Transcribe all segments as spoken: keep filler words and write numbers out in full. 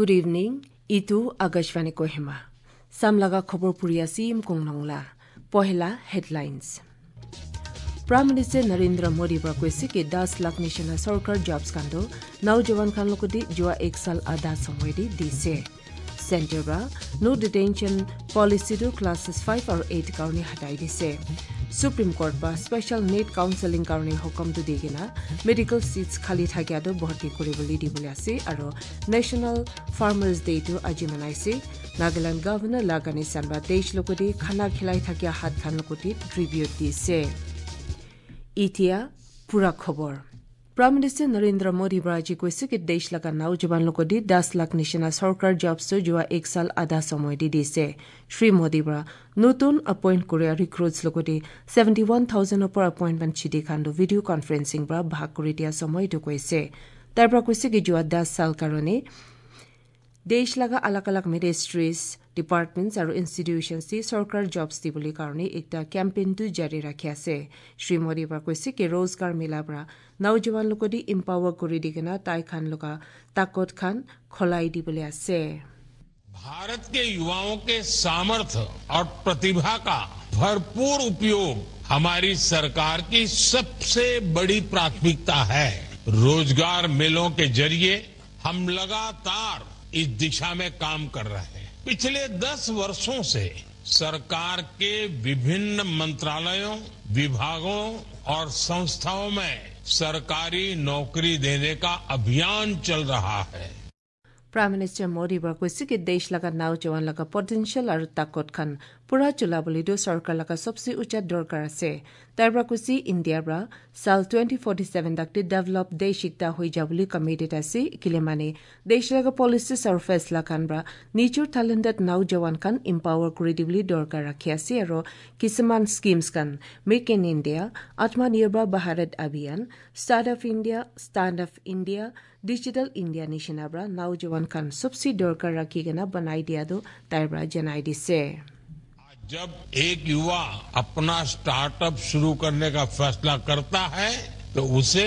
Good evening, itu Akashvani Kohima. Samlaga khobor puri asi Imkung Nongla. Pohela headlines. Prime Minister Narendra Modi ba kwsike das lakh nishina sarkar jobs kando, naujawan khan lokodi jua ek sal adha somoy di dise. Center ba no detention policy do classes five aro eight karni hatai dise. Supreme Court ba special need counseling karni hukum do digina medical seats khali thakya do bhorti kuri boli di boli ase aro National Farmers Day do aji manaise. Nagaland Governor Lagani Sanba desh lokodi khana khilai thakya hat khan lokodi tribute dise. Itia pura khobor. Prime Minister Narendra Modi bra ji kwsike desh laga naujawan lokodi das lakh nishina sarkar jobs to jua ek sal adha somoy di dise. Shri Modi bra nutun appoint korea recruits lokodi seventy one thousand opor appointment chidi khan do video conferencing bra bhag kuri dia somoy do kwse. Tabra kwsike jua das sal karone Desh laga alag alag ministries, departments aro institutions ti sarkar jobs di boli karone ekta campaign tu jari rakhi ase. Shri Modi bra kwsike Rozgar Mela bra naujawan lokodi empower kuri digena tai khan loka takot khan kholai di boli ase. Bharat के युवाओं के सामर्थ्य और प्रतिभा का भरपूर उपयोग हमारी सरकार की सबसे बड़ी प्राथमिकता है। रोजगार मेलों के जरिए हम लगातार इस दिशा में काम कर रहे हैं। पिछले दस वर्षों से सरकार के विभिन्न मंत्रालयों, विभागों और संस्थाओं में सरकारी नौकरी देने का अभियान चल रहा है। Prime Minister Modi bra kwsike desh laga naujawan laga potential aro takot khan pura chula boli do sarkar laga sobse ucha dorkar ase. Tabra kwsi India bra sal twenty forty seven dakti develop desh ekta hoi jabuli committed ase. Kilemani desh laga policies aro faisla khan bra nijor talented naujawan khan empower kuri di boli dorkar rakhi ase aro kisuman schemes khan Make in India, Atmanirbhar Bharat Abhiyan, Startup India, Stand Up India, Digital India nishina bra naujawan khan sobse dorkar rakhi gana banai dia do tabra janai dise. आज जब एक युवा अपना स्टार्टअप शुरू करने का फैसला करता है, तो उसे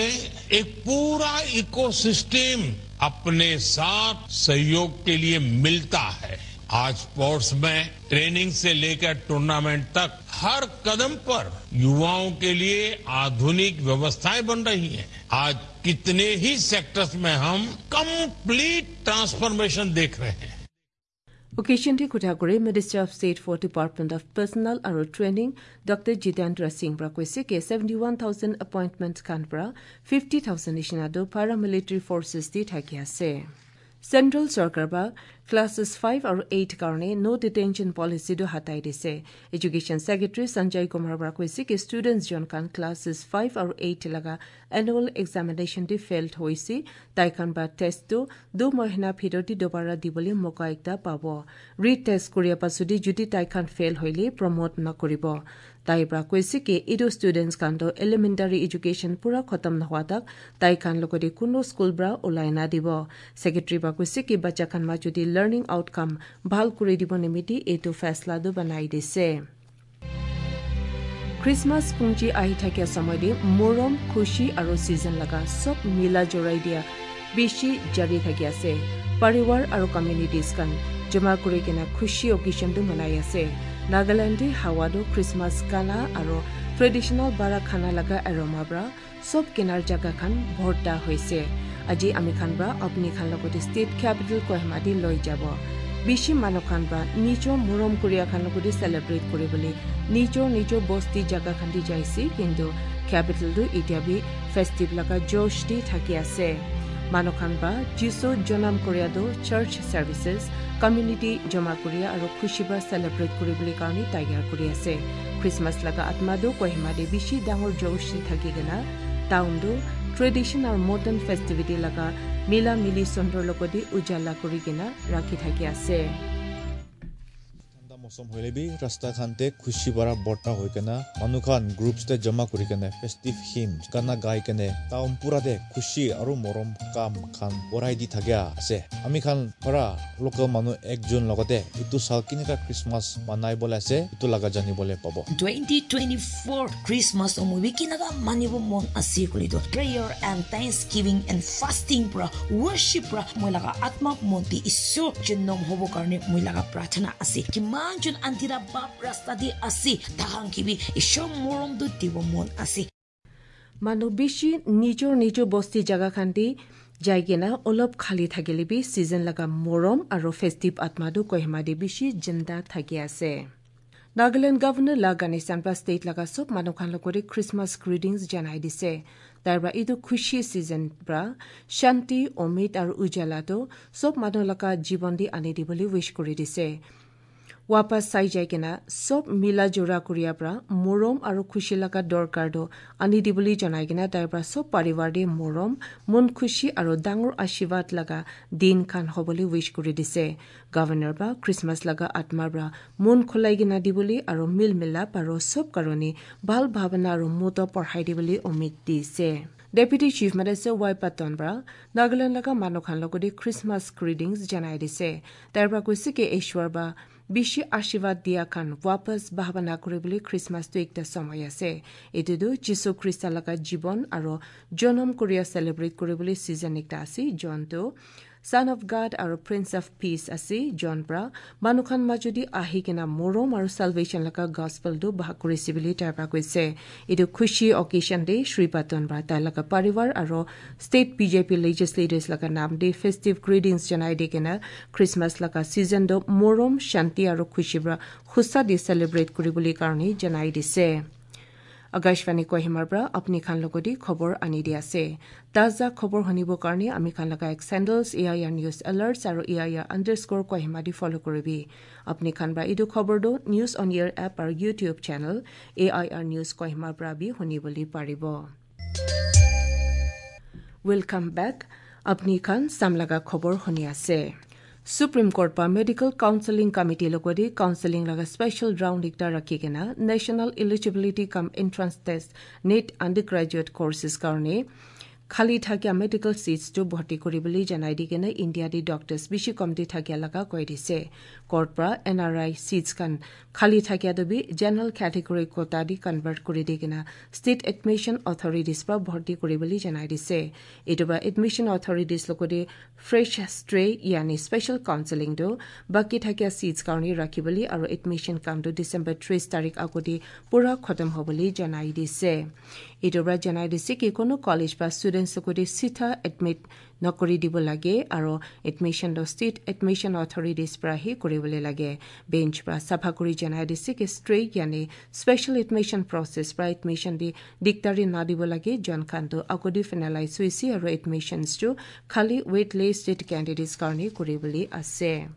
एक पूरा इकोसिस्टम अपने साथ सहयोग के लिए मिलता है। आज स्पोर्ट्स में ट्रेनिंग से लेकर टूर्नामेंट तक हर कदम पर युवाओं के लिए आधुनिक व्यवस्थाएं बन रही हैं। आज कितने ही सेक्टर्स में हम कंप्लीट ट्रांसफॉर्मेशन देख रहे हैं। Occasion ti kutha kuri Minister of State for Department of Personnel aro Training Doctor Jitendra Singh bra kwsike seventy one thousand appointment khan bra fifty thousand nishina do paramilitary forces ti thaki ase. Central Sarkar ba classes five aro eight karone no detention policy do hatai dise. Education Secretary Sanjay Kumar bra kwsike students jon khan classes five aro eight laga annual examination ti failed hoise, tai khan ba test do du mohina phiroti dobara dibole moka ekta pabo. Retest koria pasudi judi tai khan fail hoile promote na koribo. Tai bra kwsike idu students khan do elementary education pura khotom na hwa tak tai khan logode kuno school bra ulai na dibo. Secretary bra kwsike bacha khan ma judi learning outcome bhal kuri dibo nimiti etu faisla do banai dise. Christmas pungji ahi thakya somoy di morom, khushi aro season laga sob mila jorai dia bishi jari thakya ase. Pariwar aro communities khan joma kuri kena khushi occasion do manai ase. Nagaland di hawa do Christmas kana aro traditional bara khana laga aroma bra sob kinar jaga khan bhorta hoise. Aji ami khan bra apni khan logoti state capital Kohima di loi jabo. Bishi mano khan bra nijo morom koria khan logoti celebrate kori bole nijo nijo bosti jaga khan di jaisi, kintu capital do itya bi festive laga josh di thaki ase. Mano khan bra Jisu jonam koria do church services, community joma koria aro khushi bra celebrate kori bole karni taiyar kori ase. Christmas laga atma do Kohima de bishi dangor josh di thaki gana. Town do tradition aro modern festivity laga mila mili sondro logodi ujala kori gana rakhi thaki ase. Mosom hoile bi rasta khan te khushi bara borta hoi kena manu khan groups te jama kuri kene festive hymn gana gai kene town pura de khushi aru morom kam khan borai di thagya ase. Ami khan para local manu ekjon logote itu sal kinaka Christmas manai bole ase itu laga jani bole pabo. Twenty twenty-four Christmas omo bi kinaka manibo mon ase kuli do. Prayer and thanksgiving and fasting pra worship pra moi laga atma monti Isor je nom hobo karne moi laga prarthana ase. Kiman jon antira bap rasta di ase. Tahang kibi Isor morom do dibo mon ase. Manu bishi nijor nijor bosti jaga khan di jaigena olop khali thagile bi season laga morom aro festive atma do Kohima di bishi jinda thagi ase. Nagaland Governor la Ganesan ba state laga sob manu khan lokori Christmas greetings janai dise. Taiba idu khushi season pra shanti, omid aro ujala do sob manu laga jibon di ani di boli wish kori dise. Wapas sai jai kena sob mila jora kuriya pra morom aro khushi laga dorkar do ani di boli janai kena taiba sob paribar de morom, mon khushi aro dangur ashirwad laga din khan hoboli wish kori dise. Governor ba Christmas laga atma bra mon khulai kena di boli aro mil milap aro sob karoni bal bhabana aro moto porhai di boli omid dise. Deputy Chief Minister Y Patton bra Nagaland laga manu khan lokori Christmas greetings janai dise. Taiba kusi ke Ishwar ba bishi ashirwad diya khan wapas bhabana kuri boli Christmas tu ekta somoy ase. Etu tu Jisu Krista laga jibon aro jonom kuriya celebrate kuri boli season ekta ase. John tu Son of God aro Prince of Peace ase. John pra manu khan majodi ahi kena morom aro salvation laga gospel tu bahag kuri si boli taiba kuise. Etu khushi occasion de Shri Patton bra tai laga paribar aro state B J P legislators laga nam de festive greetings janai de kena Christmas laga season do morom, shanti aro khushi bra khusa di celebrate kuri boli karni janai dise. Akashvani Kohima bra apni khan logodi khobor ani di ase. Taza khobor honibo karni ami khan laga ek sandals A I R news alerts aro A I R underscore Kohima di follow kuri bi. Apni khan bra idu khobor do News on Air app aro YouTube channel A I R News Kohima bra bi honi boli paribo. Welcome back. Apni khan samlaga khobor honi ase. Supreme Court pa Medical Counseling Committee logodi counseling laga special round ekta rakhi kena National Eligibility cum Entrance Test, NEET undergraduate courses karne khali thakya medical seats tu bhorti kuri boli janai di kena India di doctors bishi kom di thakya laga koi di se. Court pra N R I seats khan khali thakya do bi general category quota di convert kuri di kena state admission authorities pra bhorti kuri boli janai di se. Etu ba admission authorities logodi fresh stray yani special counseling do baki thakya seats karni rakhi boli aro admission kam do December tris tarik agodi pura khotom ho boli janai di se. Etu bra janai di se ki kono college ba students logodi sitha admit nokori dibo lage aro admission do state admission authorities pra hi kuri boli lage. Bench pra sapha kuri janai di se ki stray yani special admission process pra admission di diktari na dibo lage. John khan do agodi finalize hoise aro admissions tu khali waitlisted candidates karni kuri boli ase.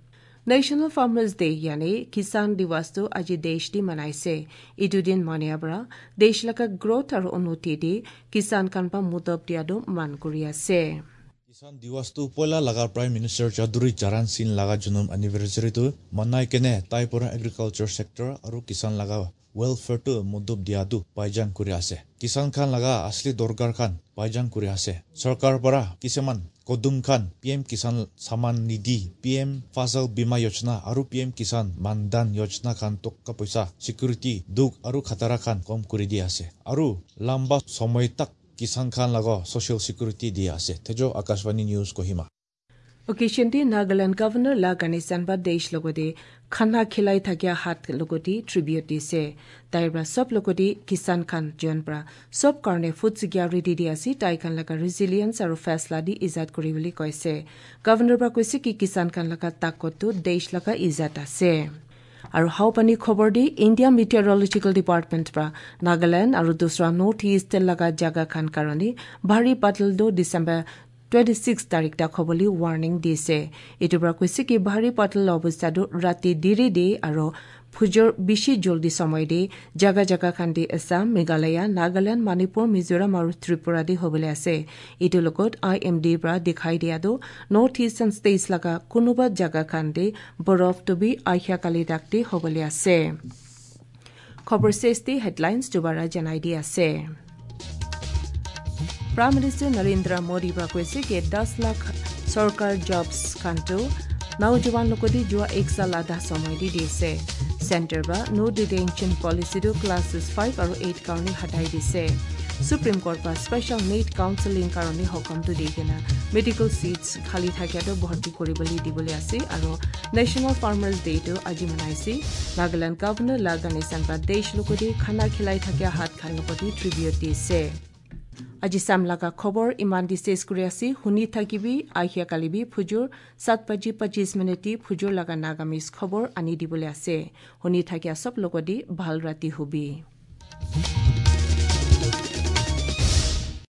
National Farmers Day yani Kisan Diwas tu aji desh di manaise. Idu din mania bra desh laga growth aro unnoti di kisan khan pa mudob dia do man kuri ase. Kisan Diwas tu poila laga Prime Minister Chaudhary Charan Singh laga junum anniversary tu manai kene tai pora agriculture sector aro kisan laga welfare tu mudob dia tu paijan kuri ase. Kisan khan laga asli dorkar khan paijan kuri ase. Sorkar para kisaman kodum khan P M Kisan Samman Nidhi, P M Fasal Bima Yojana aru P M Kisan Mandan Yojana khan tokka poisa security duk aru khatara khan kom kuri di ase. Aru lamba somoy tak kisan khan lago social security di ase. Tejo Akashvani News Kohima. Occasion di Nagaland Governor la Ganesan ba desh logodi khana khilai thakya hat logodi tribute di se. Taibra sob logodi kisan khan jon pra sob karne food security di ase, tai khan laga resilience aru faisla di ijat kuri boli koise. Governor ba koise ki kisan khan laga takot tu desh laga ijat ase. Aru haupani khobor di India Meteorological Department pra Nagaland aru dusra North East laga jaga khan karone bhari badal do December twenty-six tarik ta khoboli warning dise. Itubra kuisiki bhari patal obostha do rati diri di aro Phujor bisi joldi somoi di, jaga jaga khan di Assam, Meghalaya, Nagaland, Manipur, Mizoram aru Tripura di hobole ase. Itu logot I M D pra dikhai dia do, North Eastern states laga kunuba jaga khan di borof tubi aihya kali dak di hobole ase. Khobor sesti headlines dubara janai di ase. Prime Minister Narendra Modi ba koise ke das lakh sarkar jobs kanto, naujuwan lokodi jua ek saal adha somoi di dise. Center ba no detention policy do classes five aru eight karoni hatai dise. Supreme Court ba special need counseling karoni hokom tu di kena medical seats khali thakya do bhorti kori boli di boli ase aru National Farmers Day do aji manaisi. Nagaland Governor La Ganesan ba desh lokodi khana khilai thakya hat khan lokodi tribute dise. Aji samlaka khobor iman di ses kuri ase, huni thakibi, ahia kalibi, phujur, sat baji pachis minute di phujur laga Nagamese khobor ani di bole ase. Huni thakia sob logo di bhal rati hubi.